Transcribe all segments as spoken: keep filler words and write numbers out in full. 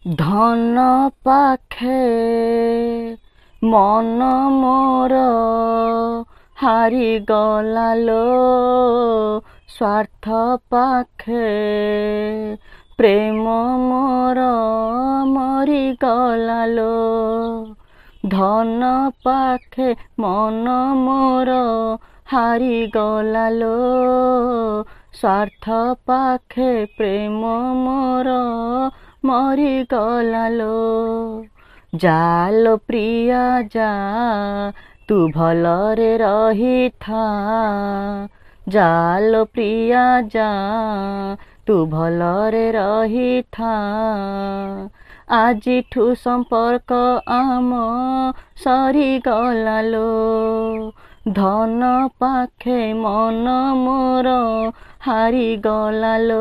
ଧନ ପାଖେ ମନ ମୋର ହାରିଗଲା ଲୋ, ସ୍ୱାର୍ଥ ପାଖେ ପ୍ରେମ ମୋର ମରିଗଲା ଲୋ। ଧନ ପାଖେ ମନ ମୋର ହାରିଗଲା ଲୋ, ସ୍ୱାର୍ଥ ପାଖେ ପ୍ରେମ ମୋର ମରିଗଲା ଲୋ। ଜାଲୋ ପ୍ରିୟା ଯା, ତୁ ଭଲରେ ରହିଥା। ଜାଲୋ ପ୍ରିୟା ଯା, ତୁ ଭଲରେ ରହିଥା। ଆଜିଠୁ ସମ୍ପର୍କ ଆମ ସରିଗଲା ଲୋ। ଧନ ପାଖେ ମନ ମୋର ହାରିଗଲା ଲୋ,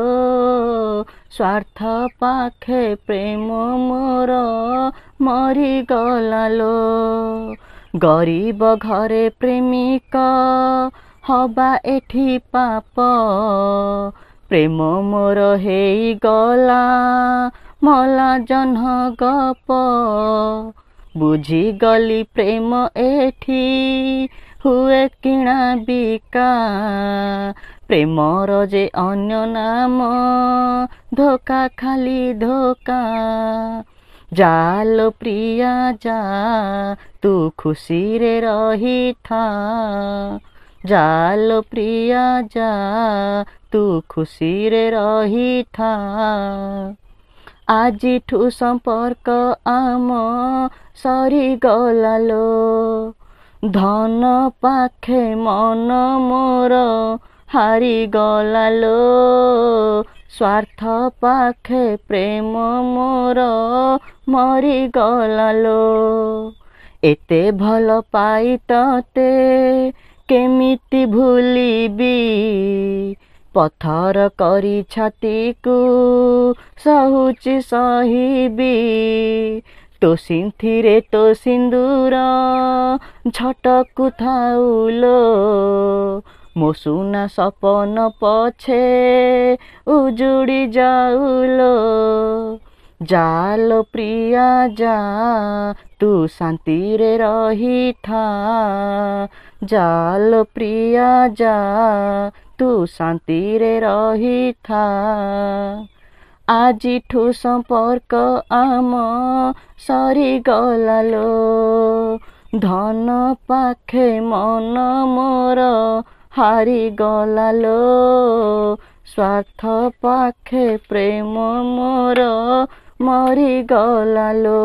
ସ୍ୱାର୍ଥ ପାଖେ ପ୍ରେମ ମୋର ମରିଗଲା ଲୋ। ଗରିବ ଘରେ ପ୍ରେମିକ ହବା ଏଠି ପାପ, ପ୍ରେମ ମୋର ହେଇଗଲା ମଲା ଜହ୍ନ ଗପ। ବୁଝିଗଲି ପ୍ରେମ ଏଠି ହୁଏ କିଣା ବିକା, ପ୍ରେମର ଯେ ଅନ୍ୟ ନାମ ଧୋକା, ଖାଲି ଧୋକା। ଜାଲୋ ପ୍ରିୟା ଯା, ତୁ ଖୁସିରେ ରହିଥା। ଜାଲୋ ପ୍ରିୟା ଯା, ତୁ ଖୁସିରେ ରହିଥା। ଆଜିଠୁ ସମ୍ପର୍କ ଆମ ସରିଗଲା ଲୋ। ଧନ ପାଖେ ମନ ମୋର ହାରିଗଲା ଲୋ, ସ୍ୱାର୍ଥ ପାଖେ ପ୍ରେମ ମୋର ମରିଗଲା ଲୋ। ଏତେ ଭଲ ପାଇ ତତେ କେମିତି ଭୁଲିବି, ପଥର କରି ଛାତିକୁ ସହୁଚି ସହିବି। ତୋ ସିନ୍ଥିରେ ତୋ ସିନ୍ଦୁର ଝଟକୁ ଥାଉ ଲୋ, ମୋ ସୁନା ସପନ ପଛେ ଉଜୁଡ଼ି ଯାଉ ଲୋ। ଜାଲୋ ପ୍ରିୟା ଯା, ତୁ ଶାନ୍ତିରେ ରହିଥା। ଜାଲୋ ପ୍ରିୟା ଯା, ତୁ ଶାନ୍ତିରେ ରହିଥା। ଆଜିଠୁ ସମ୍ପର୍କ ଆମ ସରିଗଲା ଲୋ। ଧନ ପାଖେ ମନ ମୋର ହାରିଗଲା ଲୋ, ସ୍ୱାର୍ଥ ପାଖେ ପ୍ରେମ ମୋର ମରିଗଲା ଲୋ।